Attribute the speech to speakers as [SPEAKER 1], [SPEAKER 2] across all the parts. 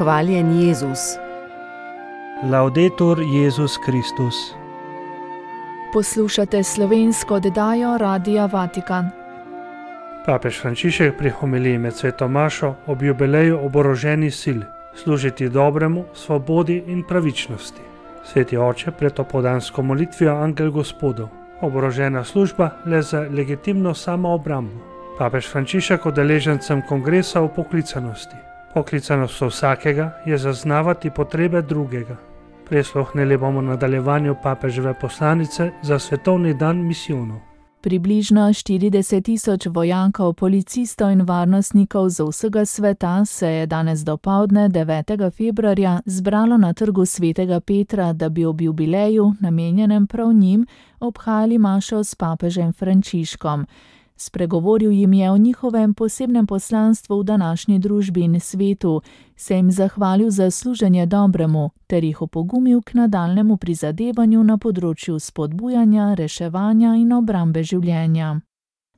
[SPEAKER 1] Hvaljen Jezus.
[SPEAKER 2] Laudetur Jezus Kristus.
[SPEAKER 3] Poslušate slovensko oddajo Radia Vatikan.
[SPEAKER 2] Papež Frančišek pri homiliji med sveto mašo ob jubileju oboroženih sil, služiti dobremu, svobodi in pravičnosti. Sveti oče pred opoldansko molitvijo Angel Gospodov, oborožena služba le za legitimno samoobrambo. Papež Frančišek udeležencem kongresa o poklicanosti. Poklicanost vsakega je zaznavati potrebe drugega. Prisluhnili bomo nadaljevanju papeževe poslanice za svetovni dan misijonov.
[SPEAKER 3] Približno 40.000 vojakov, policistov in varnostnikov z vsega sveta se je danes dopoldne 9. februarja zbralo na trgu svetega Petra, da bi ob jubileju, namenjenem prav njim, obhajali mašo s papežem Frančiškom. Spregovoril jim je o njihovem posebnem poslanstvu v današnji družbi in svetu, se jim zahvalil za služenje dobremu ter jih opogumil k nadaljnemu prizadevanju na področju spodbujanja, reševanja in obrambe življenja.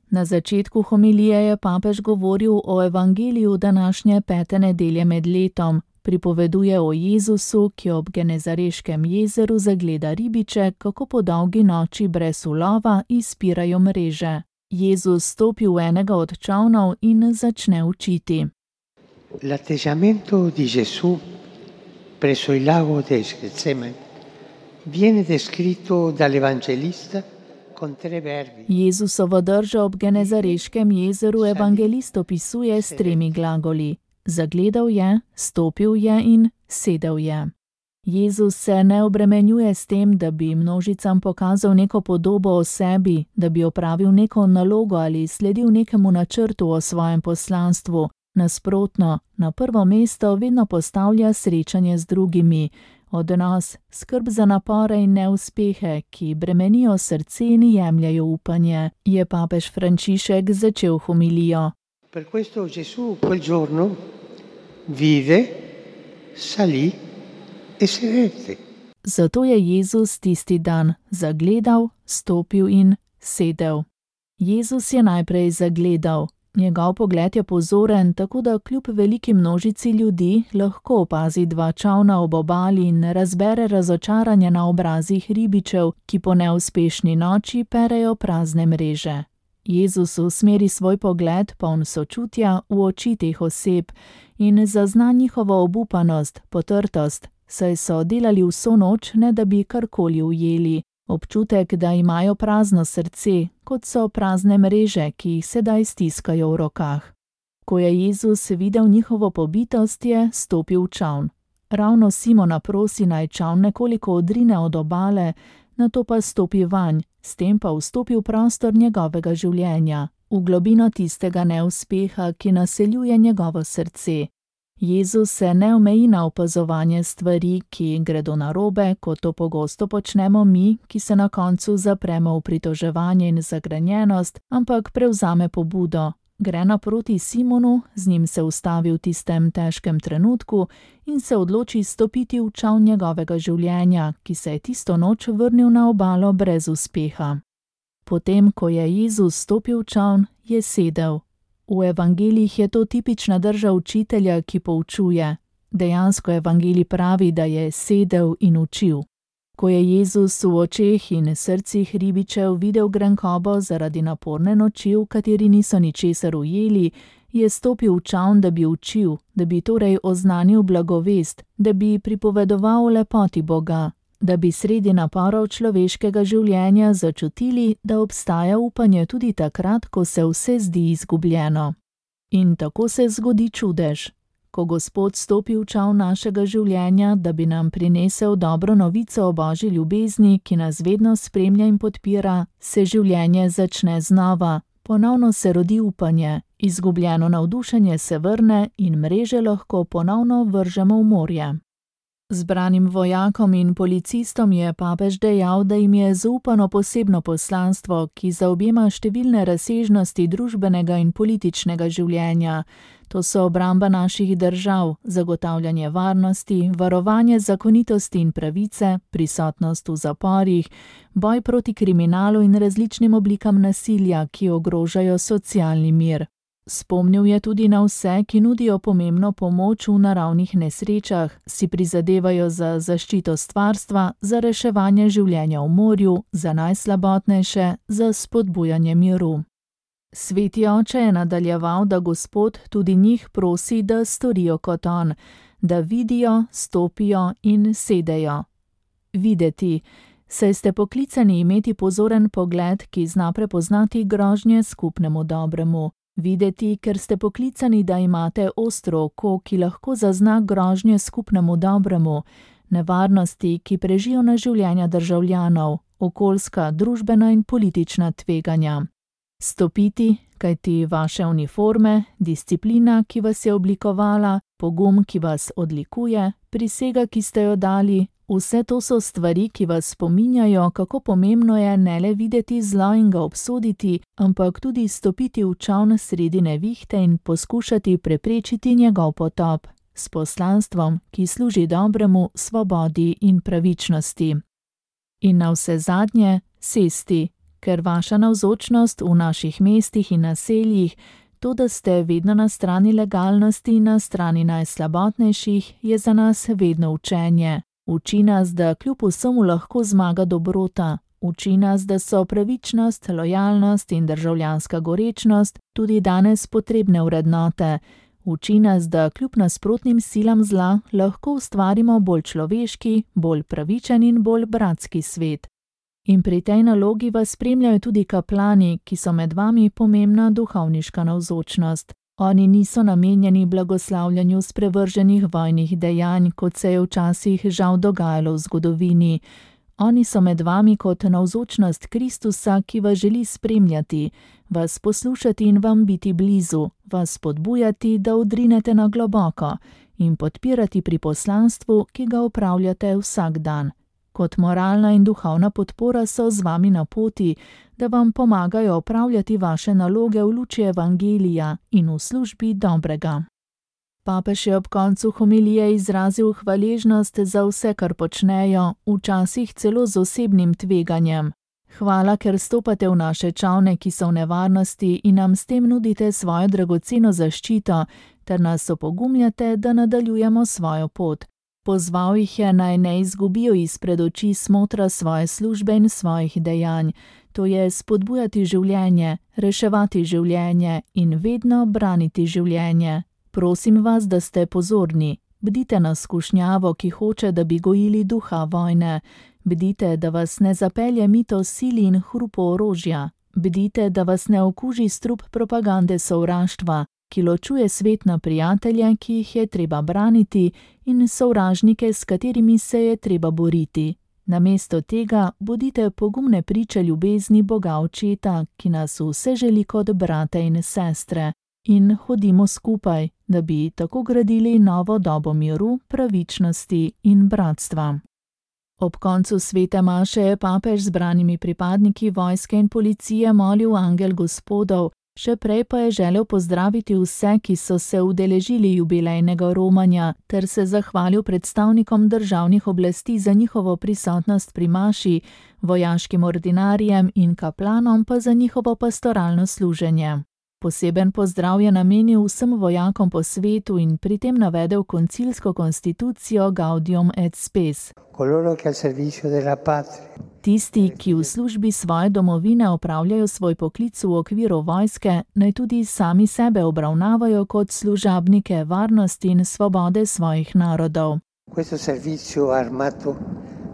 [SPEAKER 3] Na začetku homilije je papež govoril o evangeliju današnje 5. nedelje med letom. Pripoveduje o Jezusu, ki ob Genezareškem jezeru zagleda ribiče, kako po dolgi noči brez ulova izpirajo mreže. Jezus stopi v enega od čolnov in začne učiti.
[SPEAKER 4] L'atteggiamento di Gesù presso il lago del Getsemani viene descritto dall'evangelista con 3 verbi.
[SPEAKER 3] Jezusovo držo ob Genezareškem jezeru evangelist opisuje s 3 glagoli. Zagledal je, stopil je in sedel je. Jezus se ne obremenjuje s tem, da bi množicam pokazal neko podobo o sebi, da bi opravil neko nalogo ali sledil nekemu načrtu o svojem poslanstvu. Nasprotno, na prvo mesto vedno postavlja srečanje z drugimi, odnos, skrb za napore in neuspehe, ki bremenijo srce in jemljajo upanje, je papež Frančišek začel homilijo.
[SPEAKER 4] Per questo Gesù quel giorno vive, salì e sedette.
[SPEAKER 3] Zato je Jezus tisti dan zagledal, stopil in sedel. Jezus je najprej zagledal. Njegov pogled je pozoren, tako da kljub veliki množici ljudi lahko opazi 2 čolna ob obali in razbere razočaranje na obrazih ribičev, ki po neuspešni noči perejo prazne mreže. Jezus usmeri svoj pogled, poln sočutja, v oči teh oseb in zazna njihovo obupanost, potrtost, saj so delali vso noč, ne da bi karkoli ujeli. Občutek, da imajo prazno srce, kot so prazne mreže, ki jih sedaj stiskajo v rokah. Ko je Jezus videl njihovo pobitost, je stopil v čoln. Ravno Simona prosi, naj čoln nekoliko odrine od obale, nato pa stopi vanj, s tem pa vstopi v prostor njegovega življenja, v globino tistega neuspeha, ki naseljuje njegovo srce. Jezus se ne omeji na opazovanje stvari, ki gredo narobe, kot to pogosto počnemo mi, ki se na koncu zapremo v pritoževanje in zagrenjenost, ampak prevzame pobudo. Gre naproti Simonu, z njim se ustavi v tistem težkem trenutku in se odloči stopiti v čoln njegovega življenja, ki se je tisto noč vrnil na obalo brez uspeha. Potem, ko je Jezus stopil v čoln, je sedel. V evangelijih je to tipična drža učitelja, ki poučuje. Dejansko evangelij pravi, da je sedel in učil. Ko je Jezus v očeh in srcih ribičev videl grenkobo zaradi naporne noči, v kateri niso ničesar ujeli, je stopil v čoln, da bi učil, da bi torej oznanil blagovest, da bi pripovedoval o lepoti Boga, da bi sredi naporov človeškega življenja začutili, da obstaja upanje tudi takrat, ko se vse zdi izgubljeno. In tako se zgodi čudež. Ko Gospod stopi v čoln našega življenja, da bi nam prinesel dobro novico o Božji ljubezni, ki nas vedno spremlja in podpira, se življenje začne znova, ponovno se rodi upanje, izgubljeno navdušenje se vrne in mreže lahko ponovno vržemo v morje. Zbranim vojakom in policistom je papež dejal, da jim je zaupano posebno poslanstvo, ki zaobjema številne razsežnosti družbenega in političnega življenja. To so obramba naših držav, zagotavljanje varnosti, varovanje zakonitosti in pravice, prisotnost v zaporih, boj proti kriminalu in različnim oblikam nasilja, ki ogrožajo socialni mir. Spomnil je tudi na vse, ki nudijo pomembno pomoč v naravnih nesrečah, si prizadevajo za zaščito stvarstva, za reševanje življenja v morju, za najslabotnejše, za spodbujanje miru. Sveti oče je nadaljeval, da Gospod tudi njih prosi, da storijo kot on, da vidijo, stopijo in sedejo. Videti, saj ste poklicani imeti pozoren pogled, ki zna prepoznati grožnje skupnemu dobremu. Videti, ker ste poklicani, da imate ostro oko, ki lahko zazna grožnje skupnemu dobremu, nevarnosti, ki prežijo na življenja državljanov, okoljska, družbena in politična tveganja. Stopiti, kajti vaše uniforme, disciplina, ki vas je oblikovala, pogum, ki vas odlikuje, prisega, ki ste jo dali, vse to so stvari, ki vas spominjajo, kako pomembno je ne le videti zlo in ga obsoditi, ampak tudi stopiti v čoln sredi nevihte in poskušati preprečiti njegov potop, s poslanstvom, ki služi dobremu, svobodi in pravičnosti. In navsezadnje sesti, ker vaša navzočnost v naših mestih in naseljih, to, da ste vedno na strani legalnosti in na strani najslabotnejših, je za nas vedno učenje. Uči nas, da kljub vsemu lahko zmaga dobrota. Uči nas, da so pravičnost, lojalnost in državljanska gorečnost tudi danes potrebne vrednote. Uči nas, da kljub nasprotnim silam zla lahko ustvarimo bolj človeški, bolj pravičen in bolj bratski svet. In pri tej nalogi vas spremljajo tudi kaplani, ki so med vami pomembna duhovniška navzočnost. Oni niso namenjeni blagoslavljanju sprevrženih vojnih dejanj, kot se je včasih žal dogajalo v zgodovini. Oni so med vami kot navzočnost Kristusa, ki vas želi spremljati, vas poslušati in vam biti blizu, vas spodbujati, da odrinete na globoko in podpirati pri poslanstvu, ki ga opravljate vsak dan. Kot moralna in duhovna podpora so z vami na poti, da vam pomagajo opravljati vaše naloge v luči evangelija in v službi dobrega. Papež je ob koncu homilije izrazil hvaležnost za vse, kar počnejo, včasih celo z osebnim tveganjem. Hvala, ker stopate v naše čolne, ki so v nevarnosti in nam s tem nudite svojo dragoceno zaščito, ter nas opogumljate, da nadaljujemo svojo pot. Pozval jih je, naj ne izgubijo izpred oči smotra svoje službe in svojih dejanj, to je spodbujati življenje, reševati življenje in vedno braniti življenje. Prosim vas, da ste pozorni. Bdite na skušnjavo, ki hoče, da bi gojili duha vojne. Bdite, da vas ne zapelje mito sili in hrupo orožja. Bdite, da vas ne okuži strup propagande sovraštva, ki ločuje svet na prijatelje, ki jih je treba braniti, in sovražnike, s katerimi se je treba boriti. Namesto tega bodite pogumne priče ljubezni Boga Očeta, ki nas vse želi kot brate in sestre. In hodimo skupaj, da bi tako gradili novo dobo miru, pravičnosti in bratstva. Ob koncu svete maše je papež z zbranimi pripadniki vojske in policije molil angel Gospodov, še prej pa je želel pozdraviti vse, ki so se udeležili jubilejnega romanja, ter se zahvalil predstavnikom državnih oblasti za njihovo prisotnost pri maši, vojaškim ordinarijem in kaplanom pa za njihovo pastoralno služenje. Poseben pozdrav je namenil vsem vojakom po svetu in pri tem navedel koncilsko konstitucijo Gaudium et Spes. Tisti, ki v službi svoje domovine opravljajo svoj poklic v okviru vojske, naj tudi sami sebe obravnavajo kot služabnike varnosti in svobode svojih narodov.
[SPEAKER 4] Questo servizio armato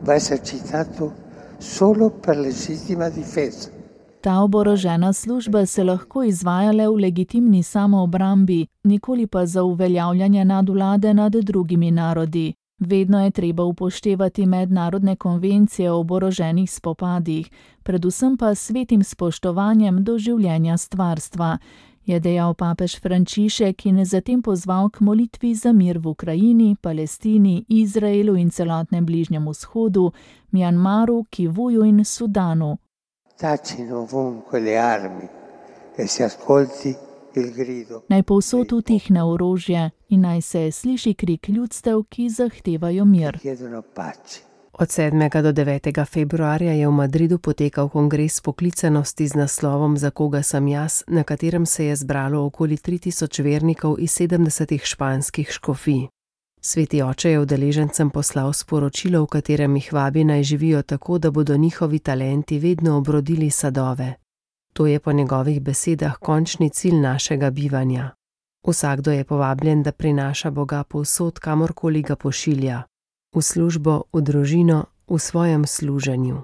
[SPEAKER 4] va esercitato solo per legittima difesa.
[SPEAKER 3] Ta oborožena služba se lahko izvaja le v legitimni samoobrambi, nikoli pa za uveljavljanje nadvlade nad drugimi narodi. Vedno je treba upoštevati mednarodne konvencije o oboroženih spopadih, predvsem pa svetim spoštovanjem do življenja stvarstva, je dejal papež Frančišek in zatem pozval k molitvi za mir v Ukrajini, Palestini, Izraelu in celotnem Bližnjem vzhodu, Mjanmaru, Kivuju in Sudanu. Naj povsod utihne orožje in naj se sliši krik ljudstev, ki zahtevajo mir.
[SPEAKER 1] Od 7. do 9. februarja je v Madridu potekal kongres poklicanosti z naslovom Za koga sem jaz, na katerem se je zbralo okoli 3000 vernikov iz 70 španskih škofij. Sveti oče je udeležencem poslal sporočilo, v katerem jih vabi naj živijo tako, da bodo njihovi talenti vedno obrodili sadove. To je po njegovih besedah končni cilj našega bivanja. Vsakdo je povabljen, da prinaša Boga povsod, kamorkoli ga pošilja. V službo, v družino, v svojem služenju.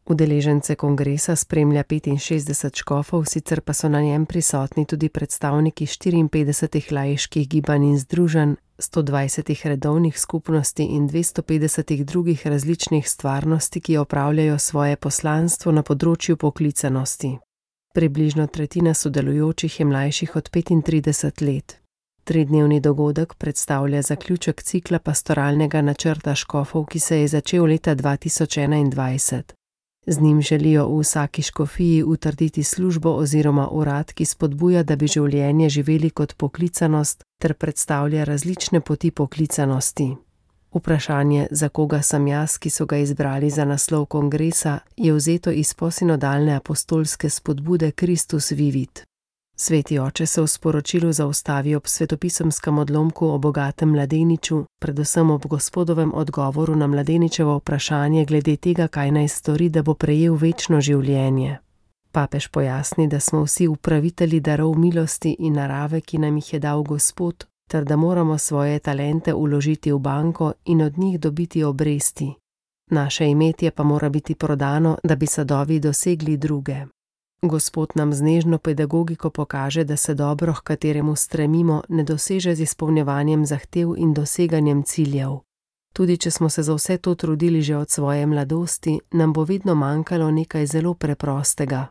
[SPEAKER 1] Udeležence kongresa spremlja 65 škofov, sicer pa so na njem prisotni tudi predstavniki 54 laiških gibanj in združenj, 120 redovnih skupnosti in 250 drugih različnih stvarnosti, ki opravljajo svoje poslanstvo na področju poklicanosti. Približno tretjina sodelujočih je mlajših od 35 let. 3-dnevni dogodek predstavlja zaključek cikla pastoralnega načrta škofov, ki se je začel leta 2021. Z njim želijo v vsaki škofiji utrditi službo oziroma urad, ki spodbuja, da bi življenje živeli kot poklicanost ter predstavlja različne poti poklicanosti. Vprašanje, za koga sem jaz, ki so ga izbrali za naslov kongresa, je vzeto iz posinodalne apostolske spodbude Christus vivit. Sveti oče se v sporočilu zaustavi ob svetopisemskem odlomku o bogatem mladeniču, predvsem ob Gospodovem odgovoru na mladeničevo vprašanje glede tega, kaj naj stori, da bo prejel večno življenje. Papež pojasni, da smo vsi upravitelji darov milosti in narave, ki nam jih je dal Gospod, ter da moramo svoje talente vložiti v banko in od njih dobiti obresti. Naše imetje pa mora biti prodano, da bi sadovi dosegli druge. Gospod nam z nežno pedagogiko pokaže, da se dobro, h kateremu stremimo, ne doseže z izpolnjevanjem zahtev in doseganjem ciljev. Tudi če smo se za vse to trudili že od svoje mladosti, nam bo vedno manjkalo nekaj zelo preprostega.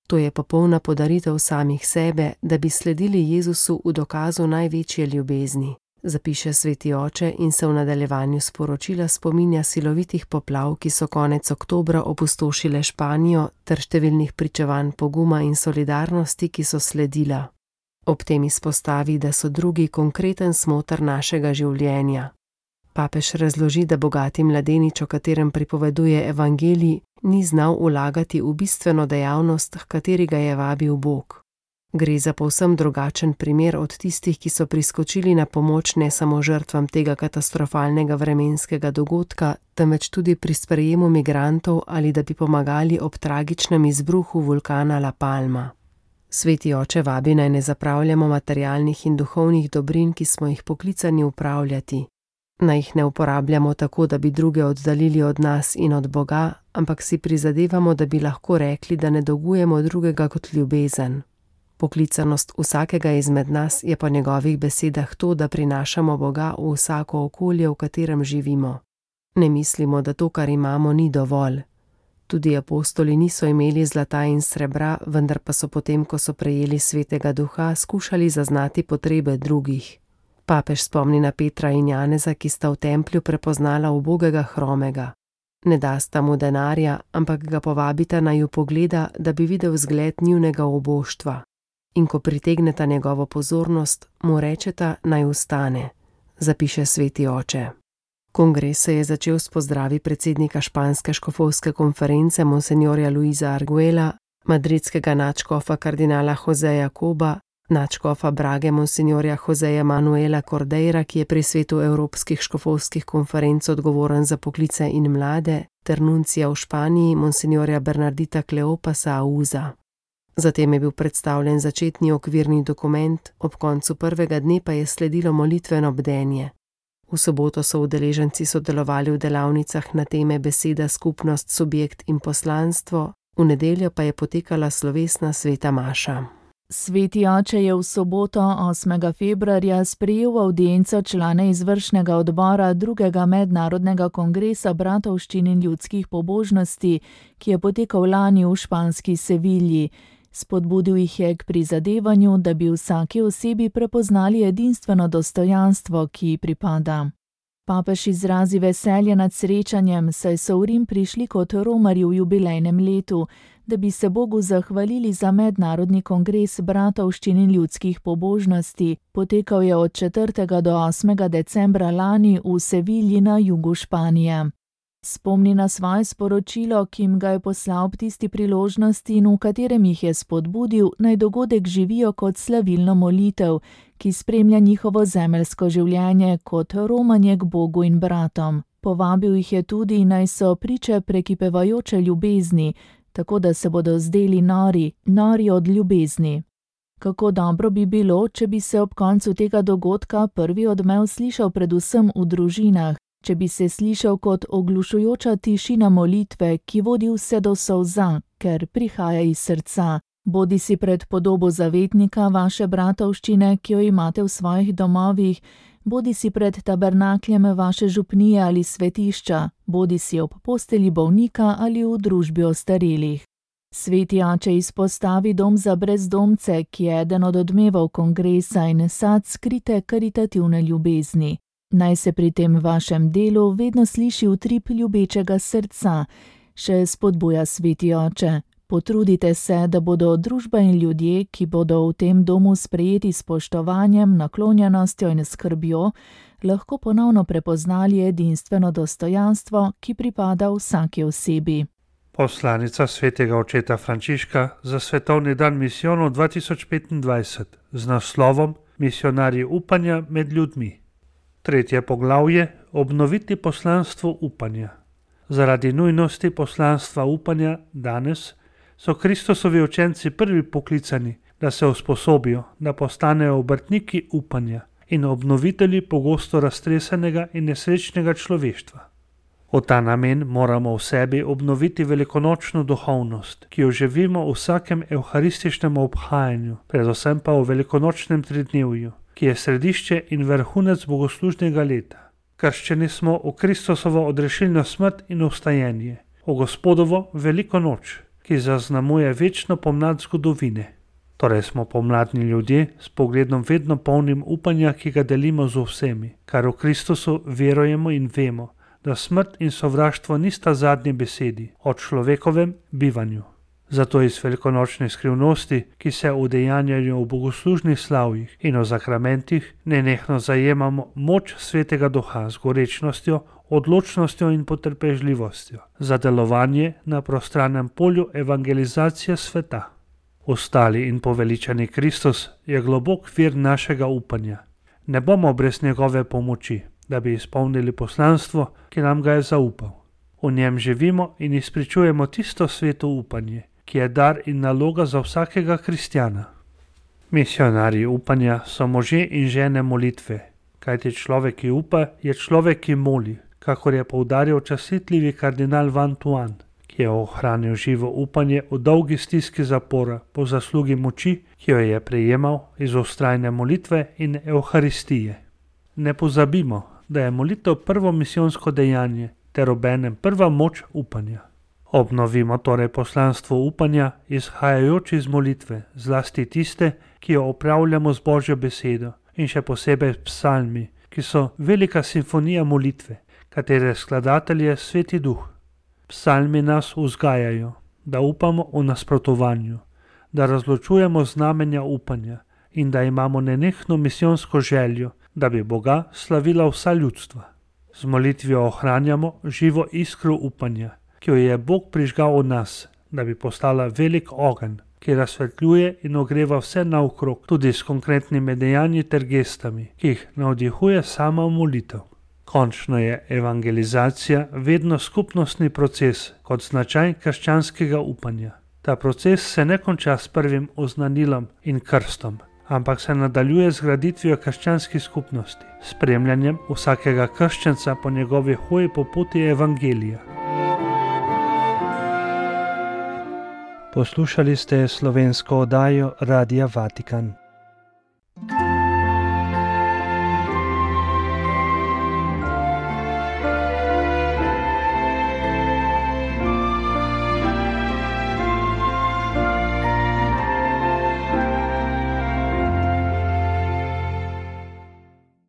[SPEAKER 1] To je popolna podaritev samih sebe, da bi sledili Jezusu v dokazu največje ljubezni, zapiše sveti oče in se v nadaljevanju sporočila spominja silovitih poplav, ki so konec oktobra opustošile Španijo, ter številnih pričevanj poguma in solidarnosti, ki so sledila. Ob tem izpostavi, da so drugi konkreten smoter našega življenja. Papež razloži, da bogati mladenič, o katerem pripoveduje evangelij, ni znal vlagati v bistveno dejavnost, h kateri ga je vabil Bog. Gre za povsem drugačen primer od tistih, ki so priskočili na pomoč ne samo žrtvam tega katastrofalnega vremenskega dogodka, temveč tudi pri sprejemu migrantov ali da bi pomagali ob tragičnem izbruhu vulkana La Palma. Sveti oče vabi naj ne zapravljamo materialnih in duhovnih dobrin, ki smo jih poklicani upravljati. Naj jih ne uporabljamo tako, da bi druge oddaljili od nas in od Boga, ampak si prizadevamo, da bi lahko rekli, da ne dolgujemo drugega kot ljubezen. Poklicanost vsakega izmed nas je po njegovih besedah to, da prinašamo Boga v vsako okolje, v katerem živimo. Ne mislimo, da to, kar imamo, ni dovolj. Tudi apostoli niso imeli zlata in srebra, vendar pa so potem, ko so prejeli Svetega Duha, skušali zaznati potrebe drugih. Papež spomni na Petra in Janeza, ki sta v templju prepoznala ubogega hromega. Ne dasta mu denarja, ampak ga povabita naj ju pogleda, da bi videl zgled njunega oboštva. In ko pritegneta njegovo pozornost, mu rečeta naj vstane, zapiše sveti oče. Kongres se je začel s pozdravi predsednika Španske škofovske konference monsenjorja Luisa Arguela, madridskega nadškofa kardinala Joseja Coba, nadškofa Brage monsenjorja Joseja Manuela Cordeira, ki je pri svetu evropskih škofovskih konferenc odgovoren za poklice in mlade, ter nuncija v Španiji monsenjorja Bernardita Kleopasa Auza. Zatem je bil predstavljen začetni okvirni dokument, ob koncu prvega dne pa je sledilo molitveno bdenje. V soboto so udeleženci sodelovali v delavnicah na teme beseda, skupnost, subjekt in poslanstvo, v nedeljo pa je potekala slovesna sveta maša.
[SPEAKER 3] Sveti oče je v soboto 8. februarja sprejel avdienco člane izvršnega odbora drugega mednarodnega kongresa bratovščin in ljudskih pobožnosti, ki je potekal lani v španski Sevilji. Spodbudil jih je k prizadevanju, da bi vsaki osebi prepoznali edinstveno dostojanstvo, ki ji pripada. Papež izrazi veselje nad srečanjem, saj so v Rim prišli kot romarji v jubilejnem letu, da bi se Bogu zahvalili za mednarodni kongres bratovščin in ljudskih pobožnosti. Potekal je od 4. do 8. decembra lani v Sevilji na jugu Španije. Spomni na svoje sporočilo, ki jim ga je poslal ob tisti priložnosti in v katerem jih je spodbudil, naj dogodek živijo kot slavilno molitev, ki spremlja njihovo zemeljsko življenje kot romanje k Bogu in bratom. Povabil jih je tudi, naj so priče prekipevajoče ljubezni, tako da se bodo zdeli nori od ljubezni. Kako dobro bi bilo, če bi se ob koncu tega dogodka prvi odmev slišal predvsem v družinah, če bi se slišal kot oglušujoča tišina molitve, ki vodi vse do solza, ker prihaja iz srca, bodisi pred podobo zavetnika vaše bratovščine, ki jo imate v svojih domovih, bodisi pred tabernakljem vaše župnije ali svetišča, bodisi ob postelji bolnika ali v družbi ostarelih. Sveti oče izpostavi dom za brezdomce, ki je eden od odmevov kongresa in sad skrite karitativne ljubezni. Naj se pri tem vašem delu vedno sliši utrip ljubečega srca, še spodbuja sveti oče. Potrudite se, da bodo družba in ljudje, ki bodo v tem domu sprejeti s spoštovanjem, naklonjenostjo in skrbjo, lahko ponovno prepoznali edinstveno dostojanstvo, ki pripada vsaki osebi.
[SPEAKER 2] Poslanica svetega očeta Frančiška za svetovni dan misijonov 2025 z naslovom Misionarji upanja med ljudmi. 3. poglavje: obnoviti poslanstvo upanja. Zaradi nujnosti poslanstva upanja danes so Kristusovi učenci prvi poklicani, da se usposobijo, da postanejo obrtniki upanja in obnovitelji pogosto raztresenega in nesrečnega človeštva. V ta namen moramo v sebi obnoviti velikonočno duhovnost, ki jo živimo v vsakem evharističnem obhajanju, predvsem pa v velikonočnem tridnevju, ki je središče in vrhunec bogoslužnega leta. Krščeni smo v Kristusovo odrešilno smrt in vstajenje, v Gospodovo veliko noč, ki zaznamuje večno pomlad zgodovine. Torej smo pomladni ljudje s pogledom vedno polnim upanja, ki ga delimo z vsemi, kar v Kristusu verujemo in vemo, da smrt in sovraštvo nista zadnji besedi o človekovem bivanju. Zato iz velikonočne skrivnosti, ki se udejanjajo v bogoslužnih slavjih in v zakramentih, nenehno zajemamo moč svetega duha z gorečnostjo, odločnostjo in potrpežljivostjo za delovanje na prostranem polju evangelizacije sveta. Ostali in poveličani Kristus je globok vir našega upanja. Ne bomo brez njegove pomoči, da bi izpolnili poslanstvo, ki nam ga je zaupal. V njem živimo in izpričujemo tisto sveto upanje, ki je dar in naloga za vsakega kristjana. Misionarji upanja so možje in žene molitve, kajti človek, ki upa, je človek, ki moli, kakor je poudaril častitljivi kardinal Van Tuan, ki je ohranil živo upanje v dolgi stiski zapora po zaslugi moči, ki jo je prejemal iz vztrajne molitve in evharistije. Ne pozabimo, da je molitev prvo misijonsko dejanje ter obenem prva moč upanja. Obnovimo torej poslanstvo upanja, izhajajoč iz molitve, zlasti tiste, ki jo opravljamo z Božjo besedo in še posebej psalmi, ki so velika simfonija molitve, katere skladatelj je Sveti Duh. Psalmi nas vzgajajo, da upamo v nasprotovanju, da razločujemo znamenja upanja in da imamo nenehno misijonsko željo, da bi Boga slavila vsa ljudstva. Z molitvijo ohranjamo živo iskro upanja, ki jo je Bog prižgal v nas, da bi postala velik ogenj, ki razsvetljuje in ogreva vse naokrog, tudi s konkretnimi dejanji ter gestami, ki jih navdihuje sama molitev. Končno je evangelizacija vedno skupnostni proces kot značaj krščanskega upanja. Ta proces se ne konča s prvim oznanilom in krstom, ampak se nadaljuje z graditvijo krščanskih skupnosti, spremljanjem vsakega krščanca po njegovi hoji po poti evangelija. Poslušali ste slovensko oddajo Radia Vatikan.